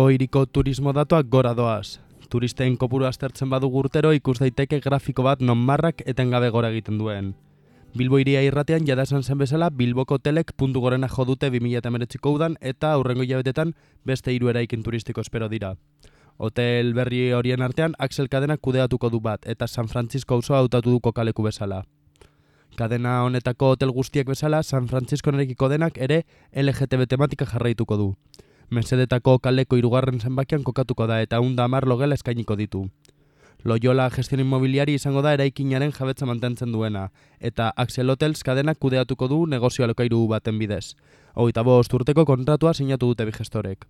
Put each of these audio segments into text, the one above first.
Bilbo hiriko turismo datuak gora doaz. Turisten kopuru aztertzen badugu urtero ikus daiteke grafiko bat non marrak etengabe gora egiten duen. Bilbo hiria irratean jada esan zen bezala Bilboko hotelek puntu gorena jo dute 2019ko udan eta aurrengo hilabetetan beste 3 eraikin turistiko espero dira. Hotel berri horien artean Axel kadenak kudeatuko du bat eta San Francisco auzoa hautatu du kokaleku bezala. Kadena honetako hotel guztiek bezala San Francisco erekiko denak ere LGTB tematika jarraituko du. Mesedetako kaleko 3. zenbakian kokatuko da eta 110 logela eskainiko ditu. Loyola Gestión Inmobiliari izango da eraikinaren jabetza mantentzen duena, eta Axel Hotels kadenak kudeatuko du negozio alokairu baten bidez. 25 urteko kontratua sinatu dute bi gestorek.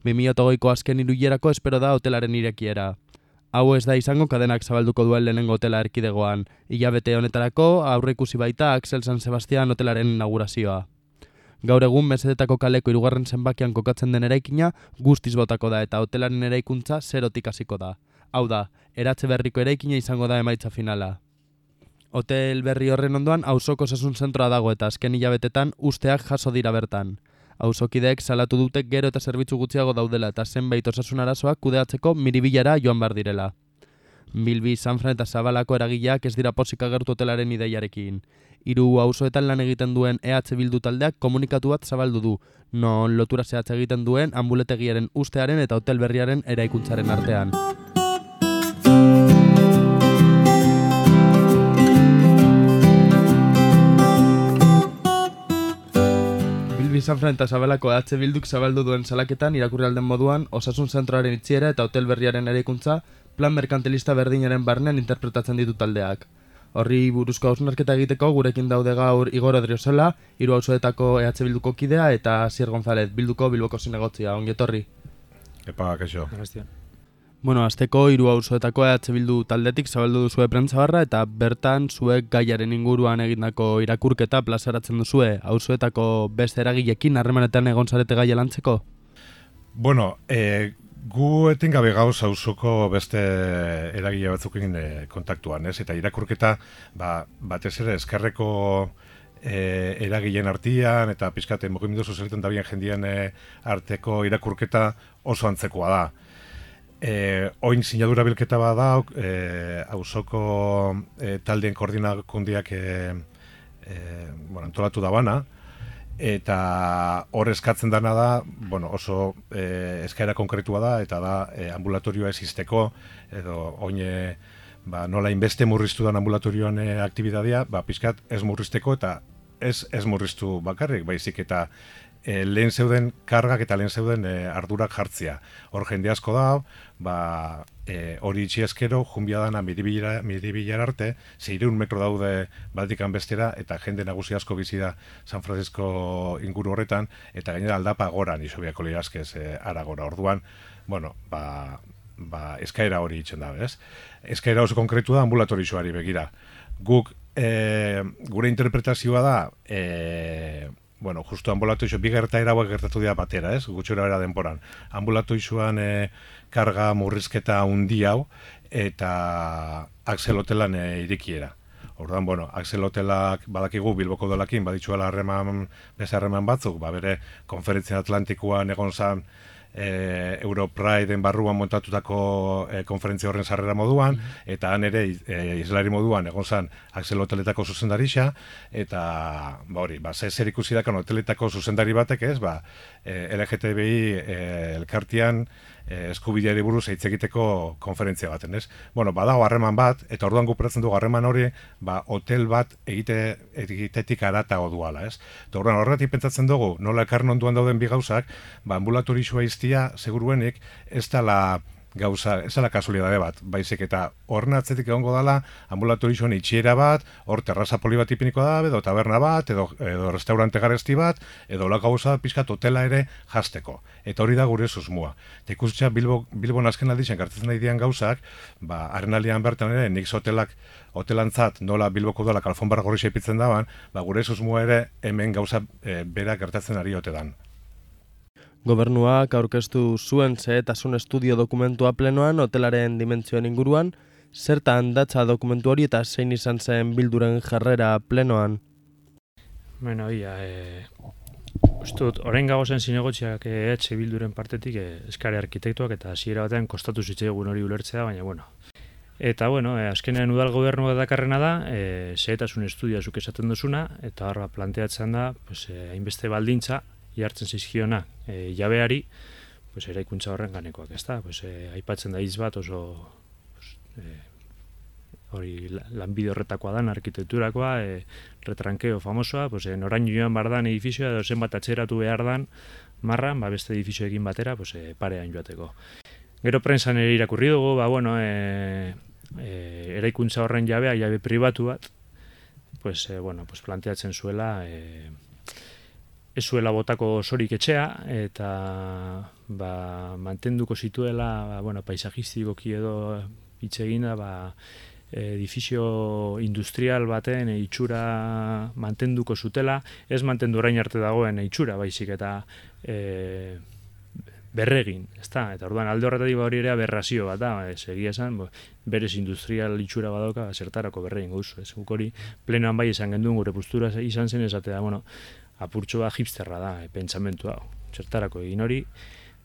2008ko azken 3 hilerako espero da hotelaren irekiera. Hau ez da izango kadenak zabalduko duen lehenengo hotela erkidegoan. Hilabete honetarako aurreikusi baita Axel San Sebastian hotelaren inaugurazioa. Gaur egun mesedetako kaleko 3. zenbakian kokatzen den eraikina guztiz botako da eta hotelaren eraikuntza zerotik hasiko da. Hau da, eratze berriko eraikina izango da emaitza finala. Hotel berri horren ondoan auzoko osasun zentroa dago eta azken hilabetetan usteak jaso dira bertan. Auzokideek salatu dute gero eta zerbitzu gutxiago daudela eta zenbait osasun arazoak kudeatzeko Miribilara joan bar direla. Bilbi, Sanfran eta Zabalako eragileak ez dira pozik agertu hotelaren ideiarekin. 3 auzoetan lan egiten duen EH Bildu taldeak komunikatu bat zabaldu du, non lotura zehatza egiten duen anbuletegiaren ustearen eta hotel berriaren eraikuntzaren artean. Bilbi, Sanfran eta Zabalako EH Bilduk zabaldu duen salaketan irakurri alden moduan osasun zentroaren itxiera eta hotel berriaren eraikuntza plan merkantilista berdinaren barnean interpretatzen ditu taldeak. Horri buruzko hausnarketa egiteko gurekin daude gaur Igor Odriozola, 3 auzoetako EH Bilduko kidea eta Asier González, Bilboko zinegotzia. Ongi etorri. Epa, kaixo. Bueno, azteko 3 auzoetako EH Bildu taldetik zabaldu duzue prentzabarra eta bertan zuek gaiaren inguruan egindako irakurketa plazaratzen duzue. Auzoetako beste eragilekin harremanetan egon zarete gaia lantzeko? Bueno, gu etengabe gauz auzoko beste eragile batzukin kontaktuan, ez? Eta irakurketa batez ere eskerreko eragileen artean eta pizkate mugimendu sozialetan dabien jendien arteko irakurketa oso antzekoa da. Oin sinadura bilketa bat da, auzoko taldeen koordinakundiak antolatu da bana, eta hor eskatzen dana da, oso eskaera konkretua da, eta da ambulatorioa existeko, edo oin nola inbeste murriztu dan ambulatorioan aktibitatea, pizkat ez murrizteko eta ez murriztu bakarrik, baizik eta lehen zeuden kargak eta lehen zeuden ardurak jartzea. Hor jende asko da, hori itxi eskero, junbia dana Miribilar arte, 600 metro daude baltikan bestera, eta jende nagusi asko bizi da San Francisco inguru horretan, eta gainera aldapa goran, isobiako lirazkez aragora. Orduan, eskaera hori itxen da, ez? Eskaera oso konkretu da ambulatorioari begira. Guk, gure interpretazioa da, justu ambulatoixo, bi gertaera hauek gertatu dira batera, ez? Gutxora bera denporan. Ambulatoixoan karga murrizketa hundi hau eta Axel Hotelan irikiera. Orduan, Axel Hotelak badakigu Bilboko dolakin baditzuela beste harreman batzuk, bere konferentzia Atlantikoan egon zan Europrideen barruan montatutako konferentzia horren sarrera moduan, eta han ere islari moduan egon zan Axel Hoteletako zuzendarixa, eta zer ikusi dakan hoteletako zuzendari batek ez, LGTBI elkartian eskubideari buruz hitz egiteko konferentzia baten, ez? Badago harreman bat, eta orduan guperatzen dugu harreman hori, hotel bat egitetik aratago duala, ez? Eta orduan horretik pentsatzen dugu, nola ekarren onduan dauden bi gauzak, ambulatorioa iztia, seguruenik, ez dela gauza, ez dela kasualidade bat, baizik eta horren atzetik egongo dela ambulatorioan itxiera bat, hor terraza poli bat ipiniko da, edo taberna bat, edo restaurante garesti bat, edo la gauza pizkat hotela ere jasteko. Eta hori da gure susmoa. Eta ikustea Bilbon azken aldizan gartatzen nahi dian gauzak, haren aldean bertan ere, Nix hotelantzat nola Bilboko dolak alfonbarra gorri ipitzen daban, gure susmoa ere hemen gauza bera gertatzen ari ote dan. Gobernuak aurkeztu zuen xehetasun estudio dokumentua plenoan hotelaren dimentsioen inguruan, zertan datza dokumentu hori eta zein izan zen Bilduren jarrera plenoan? Uste dut, orain gagozen zinegotziak EH Bilduren partetik eskare arkitektuak eta hasiera batean kostatu zitzaigun hori ulertzea, baina bueno. Eta bueno, azkenean udal gobernua dakarrena da, xehetasun estudia zuk esaten duzuna, eta horra planteatzen da, pues, hainbeste baldintza, jartzen zizkiona jabeari, pues, eraikuntza horren ganekoak, ezta? Pues, aipatzen da hitz bat oso pues, hori lanbide horretakoa dan, arkitekturakoa, retrankeo famosoa, pues, noraino joan behar dan edifizioa, edo zenbat atzeratu behar dan, marran, beste edifizioekin batera, pues, parean joateko. Gero prensan ere irakurri dugu, bueno, eraikuntza horren jabe pribatu bat, pues, pues planteatzen zuela, ez zuela botako osorik etxea, eta mantenduko zituela, paisajistikoki edo hitz eginda, edifizio industrial baten itxura mantenduko zutela, ez mantendu orain arte dagoen itxura, baizik eta berregin, ezta? Eta orduan alde horretatik hori ere aberrazio bat da, egia esan, berez industrial itxura badoka, zertarako berregin gauzu, ez? Guk hori plenoan bai esan genduen gure postura izan zen esatea, apurtxo bat hipsterra da, pentsamentu hau, zertarako egin hori,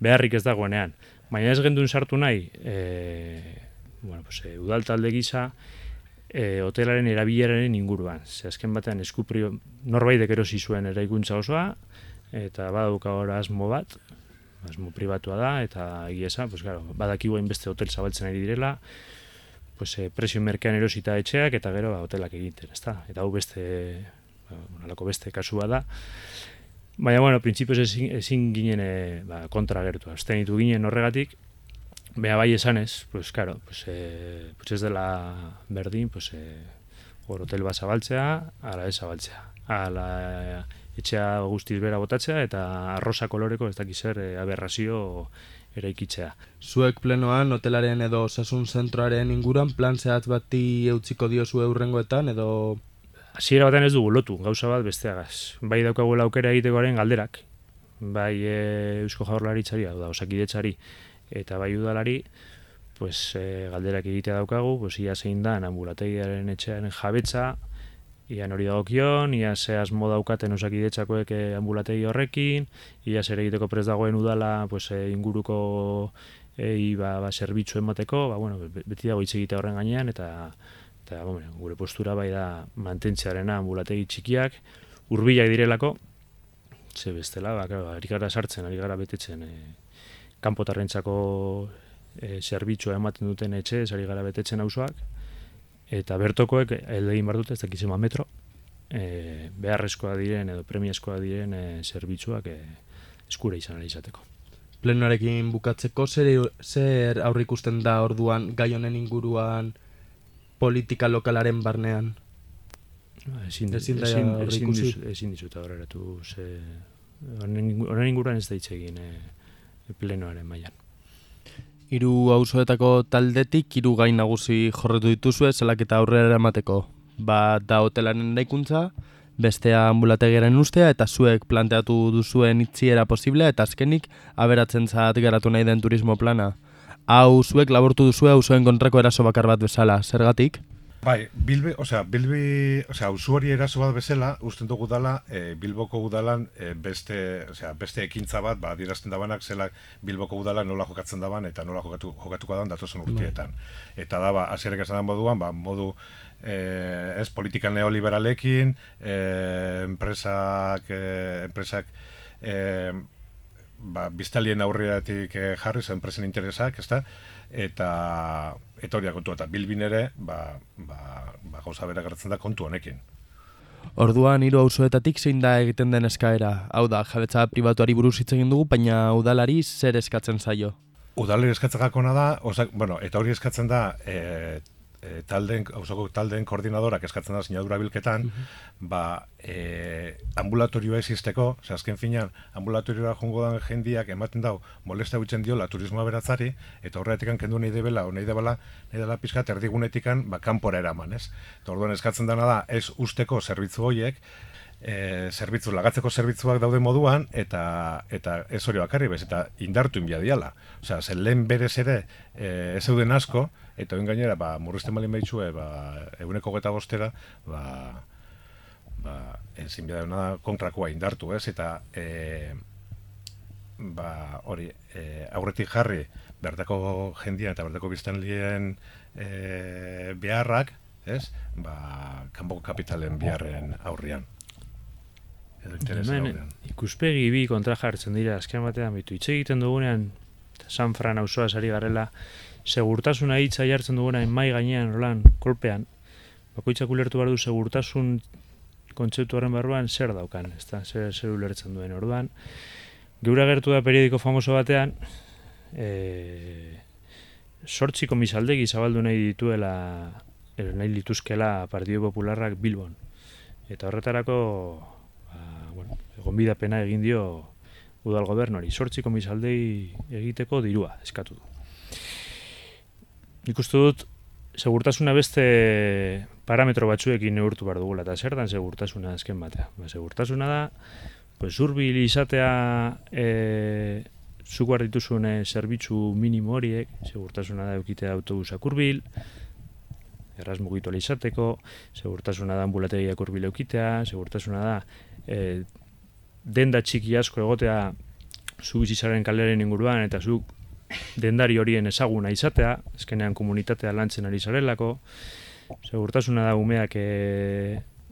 beharrik ez dagoenean. Baina ez genduen sartu nahi, udal talde gisa, hotelaren erabileraren inguruan. Ze azken batean norbaitek erosi zuen eraikuntza osoa, eta badauka hor asmo bat, asmo pribatua da, eta egia esan, badakigu hainbeste hotel zabaltzen ari direla, prezio merkean erosita etxeak, eta gero hotelak egiten, ezta? Eta hau halako beste kasua da. Baina, printzipioz ezin ginen kontra gertu. Abstenitu ginen horregatik, bai esanez, ez dela berdin, hor hotel bat zabaltzea, ala ez zabaltzea. Ala etxea guztiz bera botatzea eta arrosa koloreko ez dakiz zer aberrazio eraikitzea. Zuek plenoan hotelaren edo osasun zentroaren inguruan plan zehatz bati eutziko diozu hurrengoetan edo... Hasiera batean ez dugu lotu, gauza bat besteagaz. Bai daukagula aukera egitekoaren galderak, bai Eusko Jaurlaritzari, Osakidetzari eta bai udalari, galderak egitea daukagu, ia zein da anbulategiaren etxearen jabetza, ian hori dagokion, ia ze asmo daukaten Osakidetzakoek anbulategi horrekin, ia zer egiteko prest dagoen udala inguruko zerbitzu emateko, beti dago hitz egitea horren gainean, eta gure postura bai da mantentzearena anbulategi txikiak, hurbilak direlako, ze bestela, ari gara sartzen, ari gara betetzen, kanpotarrentzako zerbitzua ematen duten etxe, ari gara betetzen auzoak, eta bertokoek egin behar dute, ez dakizema metro, beharrezkoa diren edo premiazkoa diren zerbitzuak eskura izan izateko. Plenoarekin bukatzeko, zer aurrikusten da orduan gai honen inguruan politika lokalaren barnean? Ezin dizut aurreratu, honen inguruan ez da hitz egin plenoaren mailan. 3 auzoetako taldetik 3 gai nagusi jorretu dituzue salaketa aurrera eramateko. Bat da hotelaren eraikuntza, bestea anbulategiaren ustea eta zuek planteatu duzuen itxiera posiblea eta azkenik aberatzenzat garatu nahi den turismo plana. Hau zuek labortu duzue auzoen kontrako eraso bakar bat bezala, zergatik? Bai, auzuari eraso bat bezala, usten dugu dala, Bilboko udalan beste ekintza bat, adierazten dabanak zela Bilboko udalan nola jokatzen daban eta nola jokatuko daban datozen urtietan. Eta da, hasierek esan moduan, modu ez politika neoliberalekin, enpresak biztalien aurreatik jarri, enpresen interesak, ezta? Eta hori kontua, eta Bilbin ere gauza bera gertzen da kontu honekin. Orduan 3 auzoetatik zein da egiten den eskaera? Hau da, jabetza pribatuari buruz hitz egin dugu, baina udalari zer eskatzen zaio? Udalari eskatzen gakona da, eta hori eskatzen da auzoko taldeen koordinadorak eskatzen da sinadura bilketan, ambulatorioa existeko, azken finean, ambulatorioa jongo dan jendiak ematen dau, molesta huitzen diola turismoa beratzari, eta horretik kendu nahi dela pizkat erdigunetikan kanpora eraman, ez? Eta orduan eskatzen dana da, ez usteko zerbitzu horiek, lagatzeko zerbitzuak daude moduan, eta ez hori bakarri bez, eta indartu inbia diala. Osea, lehen berez ere ez zeuden asko, eta oin gainera, murrizten balin behitxue, 125 ezin bidea da kontrakoa indartu, ez? Eta hori, aurretik jarri bertako jendia eta bertako biztanlien beharrak, ez? Kanpoko kapitalen beharren aurrian. Edo interesen aurrian. Ikuspegi bi kontra jartzen dira, azken batean bitu. Hitz egiten dugunean, San Fran auzoaz ari garela, segurtasuna hitza jartzen dugunean mai gainean holan kolpean, bakoitzak ulertu behar du segurtasun kontzeptu horren barruan zer daukan, ezta? Zer ulertzen duen orduan. Geura agertu da periodiko famoso batean, 8 komisaldegi zabaldu nahi lituzkela Partido Popularrak Bilbon. Eta horretarako, gonbidapena egin dio udal gobernuari. 8 komisaldegi egiteko dirua eskatu du. Nik uste dut, segurtasuna beste parametro batzuekin neurtu behar dugula, eta zer dan segurtasuna azken batea. Segurtasuna da, hurbil izatea zuk behar dituzun zerbitzu minimo horiek, segurtasuna da eukitea autobusak hurbil, erraz mugitu izateko, segurtasuna da ambulategiak hurbil eukitea, segurtasuna da denda txiki asko egotea zu bizitzaren kalearen inguruan, eta zuk dendari horien ezaguna izatea, azkenean komunitatea lantzen ari zarelako, segurtasuna da umeak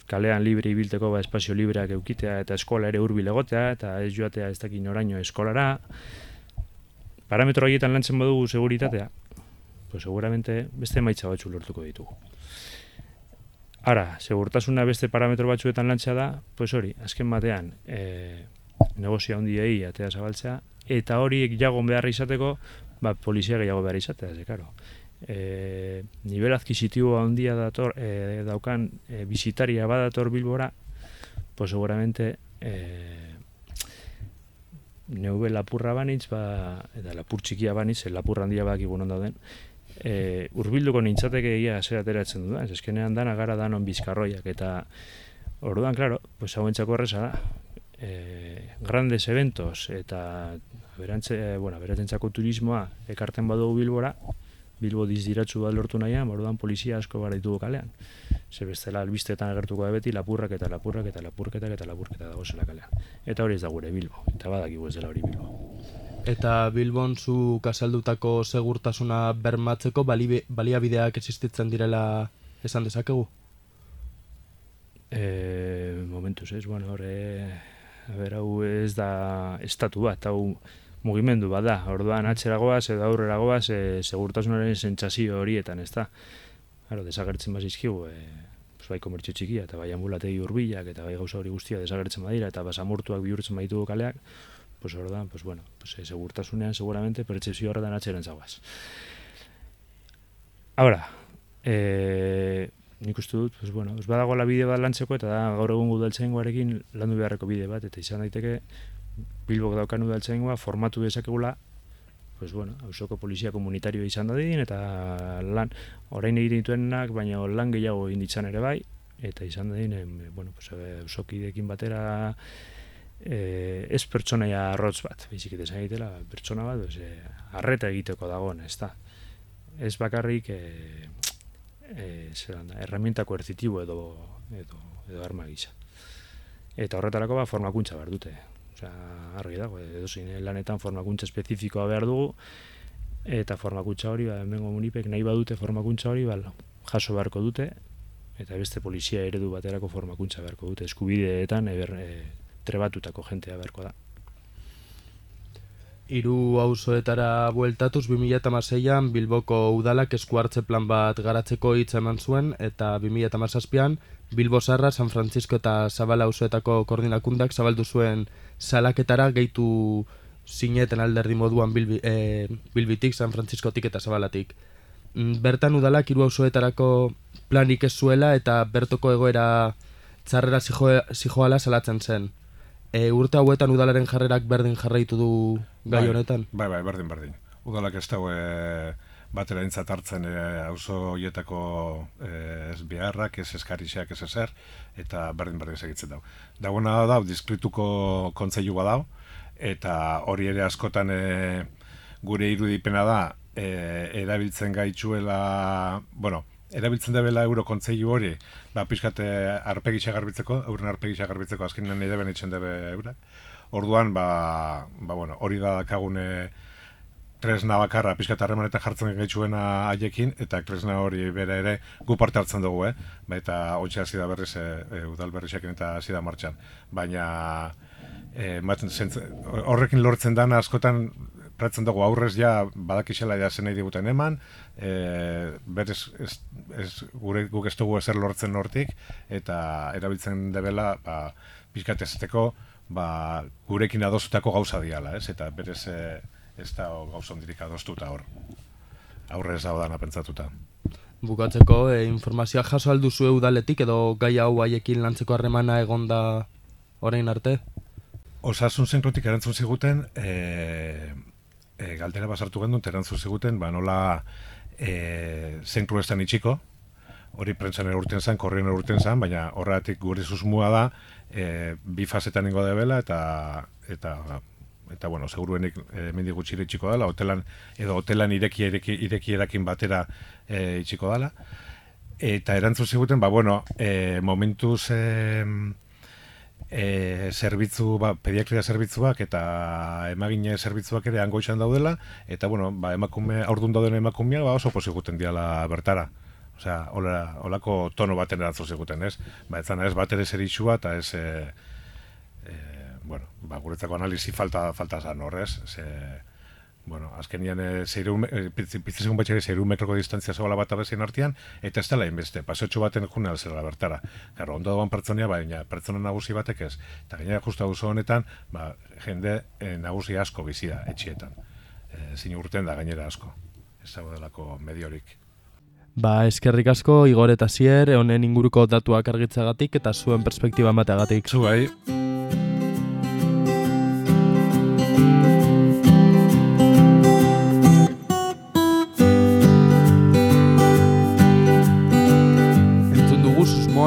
kalean libre ibilteko espazio libreak eukitea eta eskola ere hurbil egotea eta ez joatea ez dakin oraino eskolara. Parametro horietan lantzen badugu seguritatea, seguramente beste emaitza batzu lortuko ditugu. Ara, segurtasuna beste parametro batzuetan lantzea da, hori, azken batean negozio handiei atea zabaltzea, eta horiek jagon behar izateko, polizia gehiago behar izatea, karo. Nivel adquisitibo handia daukan bizitaria badator Bilbora, seguramente neube lapurra banitz, eta lapur txikia banitz, lapurra handia bakigun on dauden, hurbilduko nintzateke egia zer ateratzen dudan, eskenean dana gara danon bizkarroiak, eta orduan, klaro, hauentzako erreza da, grandes eventos eta beratzentzako turismoa ekarten badugu Bilbora, Bilbo dizdiratzu bat lortu nahian, orduan polizia asko gara ditugu kalean. Ze bestela albistetan agertuko da beti lapurrak eta dagozela kalean. Eta hori ez da gure Bilbo, eta badakigu ez dela hori Bilbo. Eta Bilbon zu kasaldutako segurtasuna bermatzeko baliabideak existitzen direla esan dezakegu? Momentuz ez, hau ez da estatu bat, hau mugimendu bat da, orduan atzeragoaz edo aurreragoaz segurtasunaren sentsazio horietan, ez da. Desagertzen bazizkigu, bai komertzio txikia eta bai ambulategi hurbilak eta bai gauza hori guztia desagertzen badira eta basamortuak bihurtzen baditugu kaleak, orduan, segurtasunean seguramente pertsepzio horretan atzeren zagoaz. Ahora, nik uste dut, badagoela bide bat lantzeko eta da gaur egun udaltzaingoarekin landu beharreko bide bat, eta izan daiteke Bilbok daukan udaltzaingoa formatu dezakegula, auzoko polizia komunitario izan dadin, eta lan, orain egiten dituenak, baina lan gehiago egin ditzan ere bai, eta izan dadin, auzokideekin batera ez pertsonaia arrotz bat, baizik eta esan egitela, pertsona bat, arreta egiteko dagoen, ez da. Ez bakarrik herramienta koertzitibo edo arma gisa. Eta horretarako formakuntza behar dute. Argi dago, edozein lanetan formakuntza espezifikoa behar dugu, eta formakuntza hori, hemengo munipek nahi badute formakuntza hori, jaso beharko dute, eta beste polizia eredu baterako formakuntza beharko dute, eskubideetan trebatutako jentea beharko da. 3 auzoetara bueltatuz 2016an Bilboko udalak esku hartze plan bat garatzeko hitza eman zuen, eta 2017an Bilbo Zaharra, San Francisco eta Zabala auzoetako koordinakundak zabaldu zuen salaketara gehitu zineten alderdi moduan Bilbitik, San Franciscotik eta Zabalatik. Bertan udalak 3 auzoetarako planik ez zuela eta bertoko egoera txarrera zijoala salatzen zen. Urte hauetan udalaren jarrerak berdin jarraitu du gai honetan? Bai, berdin. Udalak ez dago batera entzat hartzen auzo horietako ez beharrak, ez eskarixeak, ez ezer, eta berdin segitzen dago. Dagoena da, diskrituko kontseilua dago, eta hori ere askotan gure irudipena da, erabiltzen gaitzuela, erabiltzen debela eurokontzeilu hori, pixkate arpegitxa garbitzeko, euren arpegitxa garbitzeko, azkenean nahi deben itxen debe eurak. Orduan, bueno, hori da dakagune tresna bakarra, pixkat harremanetan jartzen gaitxuena haiekin, eta tresna hori bere ere gu parte hartzen dugu, eta hontxe hasi da berriz udal berrixekin eta hasi da martxan. Baina horrekin lortzen dana askotan pratzen dugu aurrez ja badakixela ja zen nahi diguten eman, berez guk ez dugu ezer lortzen hortik, eta erabiltzen debela pixkat ezeteko gurekin adostutako gauza diala, eta berez ez da gauza ondirik adostuta hor. Aurrez hau dana pentsatuta. Bukatzeko, informazioa jaso alduzu udaletik edo gai hau haiekin lantzeko harremana egonda orain arte? Osasun zentrotik erantzun ziguten, galdera basartu gendun, erantzun ziguten, nola zentru estan itxiko, hori prentsan erurten zan, korrien erurten zan, baina horretik gure susmua da, bi fasetan ingo debela, eta bueno, seguruenik mendi gutxire itxiko dela, hotelan ireki erakin batera itxiko dela. Eta erantzun ziguten, momentuz zerbitzu, pediatria zerbitzuak eta emagine zerbitzuak ere hangoixan daudela, eta bueno, aurdun dauden emakumea oso poziguten diala bertara. Osea, holako tono baten erantzun ziguten, ez? Etzana ez bat ere zeritsua, eta ez guretzako analizi falta zan horrez, azkenian piztizegun batxere 6 metroko distantzia zabala bat abezien artean, eta ez dela inbeste, paseotxo baten june alzera bertara. Garo, ondo doan pertsonia, baina pertsona nagusi batek ez. Eta gainera justu auzo honetan, jende nagusi asko bizia etxietan. Zin urten da gainera asko. Ez dago delako mediorik. Eskerrik asko, Igor eta Zier, honen inguruko datuak argitzagatik eta zuen perspektiba emateagatik. Zu bai.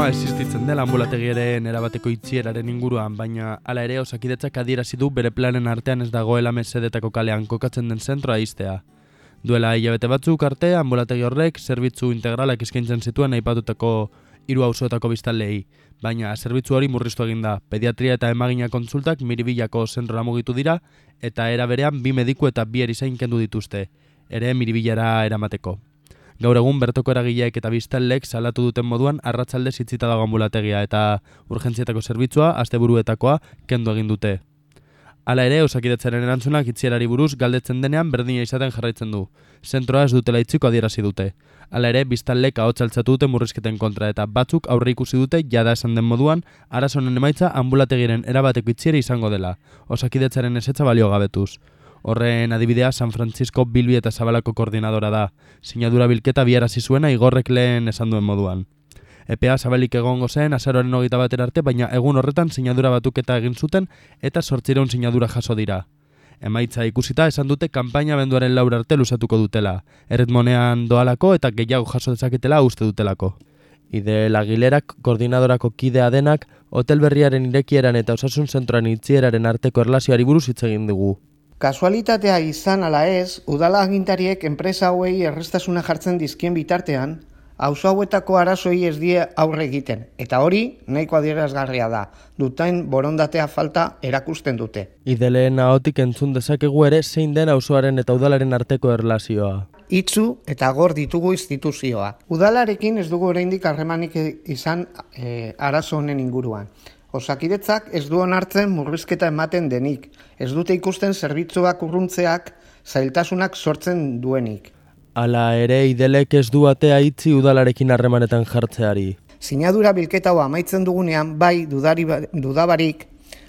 Existitzen dela anbulategiaren erabateko itxieraren inguruan, baina hala ere Osakidetzak adierazi du bere planen artean ez dagoela mesedetako kalean kokatzen den zentroa ixtea. Duela hilabete batzuk arte, anbulategi horrek zerbitzu integralak eskaintzen zituen aipatutako 3 auzoetako biztanleei, baina zerbitzu hori murriztu egin da. Pediatria eta emagina kontsultak Miribillako zentrora mugitu dira, eta era berean 2 mediku eta 2 erizain kendu dituzte, ere Miribillara eramateko. Gaur egun bertoko eragileek eta biztanleek salatu duten moduan arratsaldez itxita dago anbulategia eta urgentzietako zerbitzua asteburuetakoa kendu egin dute. Hala ere, Osakidetzaren erantzunak itxierari buruz galdetzen denean berdina izaten jarraitzen du. Zentroa ez dutela itxiko adierazi dute. Hala ere, biztanleek ahotsa altxatu dute murrizketen kontra eta batzuk aurre ikusi dute jada esan den moduan arazonen emaitza anbulategiren erabateko itxiera izango dela. Osakidetzaren ezetza balio gabetuz. Horren adibidea San Francisco Bilbi eta Zabalako koordinadora da. Sinadura bilketa biarazi zuena Igorrek lehen esan duen moduan. Epea zabalik egongo zen azaroaren 21 arte, baina egun horretan sinadura batuketa egin zuten eta 800 sinadura jaso dira. Emaitza ikusita esan dute kanpaina abenduaren 4 arte luzatuko dutela. Erritmonean doalako eta gehiago jaso dezaketela uste dutelako. Idel Aguilerak koordinadorako kidea denak hotel berriaren irekieran eta osasun zentroan itxieraren arteko erlazioari buruz hitz egin dugu. Kasualitatea izan ala ez, udala agintariek enpresa hauei errestasuna jartzen dizkien bitartean, auzo hauetako arazoei ez die aurre egiten, eta hori nahiko adierazgarria da, duten borondatea falta erakusten dute. Ideleen ahotik entzun dezakegu ere zein den auzoaren eta udalaren arteko erlazioa. Itzu eta gor ditugu instituzioa. Udalarekin ez dugu oraindik harremanik izan arazo honen inguruan. Osakidetzak ez du onartzen murrizketa ematen denik, ez dute ikusten zerbitzuak urruntzeak zailtasunak sortzen duenik. Hala ere, Idelek ez du atea itzi udalarekin harremanetan jartzeari. Sinadura bilketa hau amaitzen dugunean, bai dudabarik,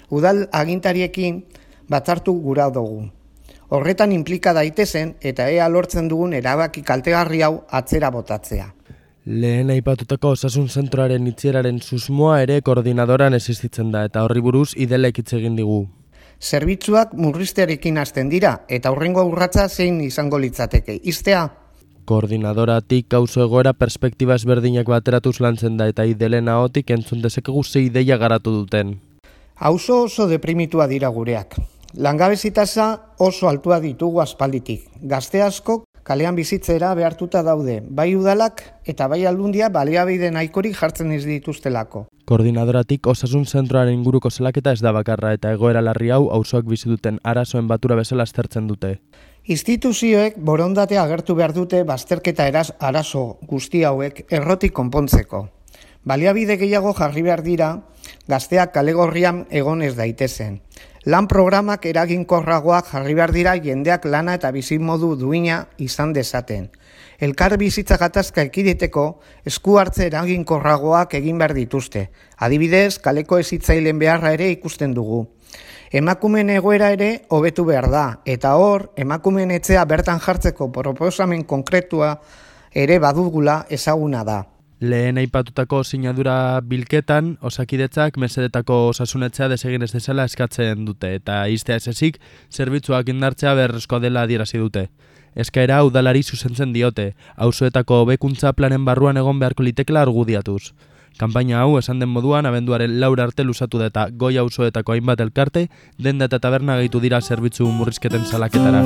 udal agintariekin batzartu gura dugu. Horretan inplika daitezen eta ea lortzen dugun erabaki kaltegarri hau atzera botatzea. Lehen aipatutako osasun zentroaren itxieraren susmoa ere koordinadoran existitzen da eta horri buruz Idelek hitz egin digu. Zerbitzuak murriztearekin hasten dira eta hurrengo urratsa zein izango litzateke. Ixtea? Koordinadoratik auzo egoera perspektiba ezberdinak bateratuz lantzen da eta Idelen ahotik entzun dezakegu ze ideia garatu duten. Auzo oso deprimitua dira gureak. Langabezi tasa oso altua ditugu aspalditik. Gazte asko kalean bizitzera behartuta daude, bai udalak eta bai aldundia baliabide nahikorik jartzen ez dituztelako. Koordinadoratik osasun zentroaren inguruko salaketa ez da bakarra eta egoera larri hau auzoak bizi duten arazoen batura bezala aztertzen dute. Instituzioek borondatea agertu behar dute bazterketa arazo guzti hauek errotik konpontzeko. Baliabide gehiago jarri behar dira, gazteak kale gorrian egon ez daitezen. Lan programak eraginkorragoak jarri behar dira jendeak lana eta bizimodu duina izan dezaten. Elkar bizitza gatazka ekiditeko esku hartze eraginkorragoak egin behar dituzte. Adibidez, kaleko hezitzaileen beharra ere ikusten dugu. Emakumeen egoera ere hobetu behar da, eta hor, emakumeen etxea bertan jartzeko proposamen konkretua ere badugula ezaguna da. Lehen aipatutako sinadura bilketan, Osakidetzak mesedetako osasunetxea desegin ez dezala eskatzen dute, eta iztea ez ezik, zerbitzuak indartzea beharrezkoa dela adierazi dute. Eskaera udalari zuzentzen diote, auzoetako hobekuntza planen barruan egon beharko litekela argudiatuz. Kanpaina hau, esan den moduan, abenduaren 4 arte luzatu da eta goi auzoetako hainbat elkarte, denda eta taberna gehitu dira zerbitzu murrizketen salaketara.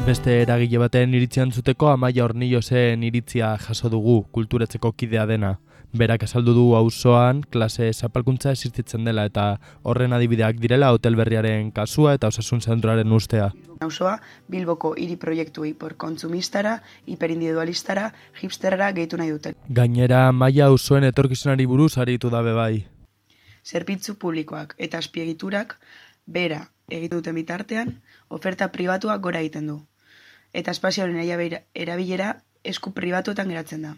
Beste eragile baten iritzia entzuteko Amaia Hornillosen iritzia jaso dugu kulturetzeko kidea dena. Berak azaldu du auzoan klase zapalkuntza existitzen dela eta horren adibideak direla hotel berriaren kasua eta osasun zentroaren ustea. Auzoa Bilboko hiri proiektuei kontsumistarara, hiperindividualistara, hipsterrara gehitu nahi duten. Gainera Amaia auzoen etorkizunari buruz aritu da bai. Zerbitzu publikoak eta azpiegiturak bera egiten duten bitartean, oferta pribatuak gora egiten du. Eta espazioaren erabilera esku pribatuetan geratzen da.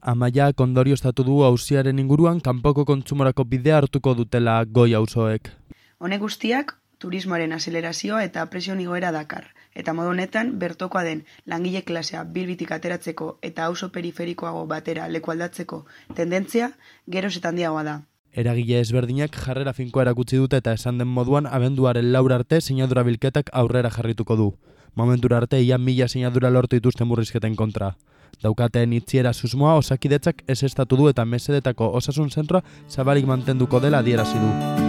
Amaia ondorioztatu du auziaren inguruan kanpoko kontsumorako bidea hartuko dutela goi auzoek. Honek guztiak turismoaren azelerazioa eta presioen igoera dakar. Eta modu honetan bertokoa den langile klasea Bilbitik ateratzeko eta auzo periferikoago batera leku aldatzeko tendentzia geroz eta handiagoa da. Eragile ezberdinak jarrera finkoa erakutsi dute eta esan den moduan abenduaren 4 arte sinadura bilketak aurrera jarrituko du. Momentura arte ia 1000 sinadura lortu dituzten murrizketen kontra. Daukaten itziera susmoa Osakidetzak ezeztatu du eta mesedetako osasun zentroa zabalik mantenduko dela adierazi du.